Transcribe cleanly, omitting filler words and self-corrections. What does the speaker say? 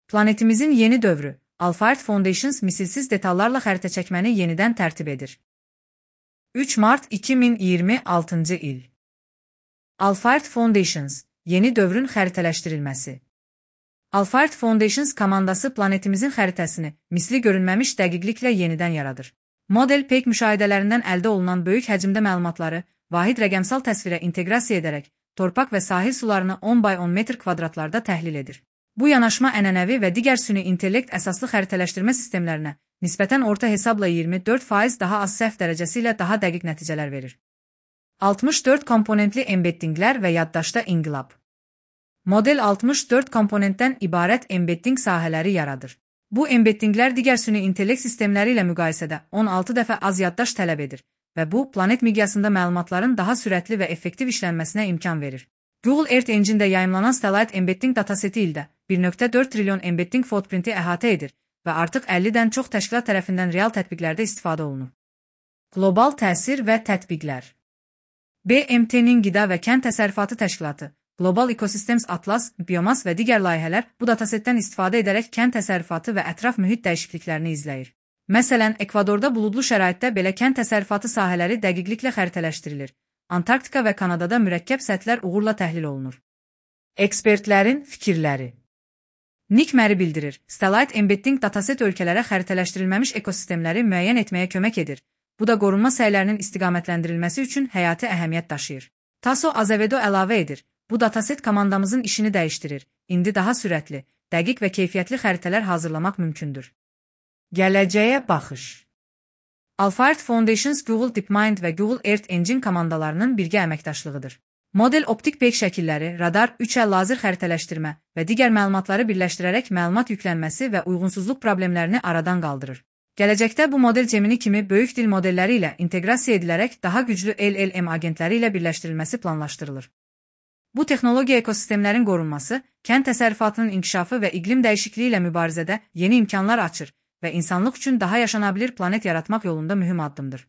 Planetimizin yeni dövrü, Alphard Foundations misilsiz detallarla xəritə çəkməni yenidən tərtib edir. 3 Mart 2026 il. Alphard Foundations, yeni dövrün xəritələşdirilməsi. Alphard Foundations komandası planetimizin xəritəsini misli görünməmiş dəqiqliklə yenidən yaradır. Model peyk müşahidələrindən əldə olunan böyük həcmdə məlumatları vahid rəqəmsal təsvirə inteqrasiya edərək torpaq və sahil sularını 10 by 10 metr kvadratlarda təhlil edir. Bu yanaşma ənənəvi və digər süni intellekt əsaslı xəritələşdirmə sistemlərinə nisbətən orta hesabla 24% daha az səhv dərəcəsi ilə daha dəqiq nəticələr verir. 64 komponentli embeddinglər və yaddaşda inqilab. Model 64 komponentdən ibarət embedding sahələri yaradır. Bu embeddinglər digər süni intellekt sistemləri ilə müqayisədə 16 dəfə az yaddaş tələb edir və bu, planet miqyasında məlumatların daha sürətli və effektiv işlənməsinə imkan verir. Google Earth Engine-də yayımlanan Stellite Embedding dataseti ildə 1.4 trilyon embedding footprinti əhatə edir və artıq 50-dən çox təşkilat tərəfindən real tətbiqlərdə istifadə olunur. Qlobal təsir və tətbiqlər. BMT-nin Qida və Kənd Təsərrüfatı Təşkilatı, Global Ecosystems Atlas, Biomas və digər layihələr bu datasetdən istifadə edərək kənd təsərrüfatı və ətraf mühit dəyişikliklərini izləyir. Məsələn, Ekvadorda buludlu şəraitdə belə kənd təsərrüfatı sahələri dəqiqliklə xəritələşdirilir. Antarktika və Kanadada mürəkkəb səthlər uğurla təhlil olunur. Ekspertlərin fikirləri. Nick Murray bildirir, Stellite Embedding dataset ölkələrə xəritələşdirilməmiş ekosistemləri müəyyən etməyə kömək edir. Bu da qorunma səylərinin istiqamətləndirilməsi üçün həyati əhəmiyyət daşıyır. Tasso Azevedo əlavə edir, bu dataset komandamızın işini dəyişdirir. İndi daha sürətli, dəqiq və keyfiyyətli xəritələr hazırlamaq mümkündür. Gələcəyə baxış. Alphard Foundations Google DeepMind və Google Earth Engine komandalarının birgə əməkdaşlığıdır. Model optik peyk şəkilləri, radar, 3L lazer xəritələşdirmə və digər məlumatları birləşdirərək məlumat yüklənməsi və uyğunsuzluq problemlərini aradan qaldırır. Gələcəkdə bu model Gemini kimi böyük dil modelləri ilə inteqrasiya edilərək daha güclü LLM agentləri ilə birləşdirilməsi planlaşdırılır. Bu texnologiya ekosistemlərin qorunması, kənd təsərrüfatının inkişafı və iqlim dəyişikliyi ilə mübarizədə yeni imkanlar açır və insanlıq üçün daha yaşanabilir planet yaratmaq yolunda mühüm addımdır.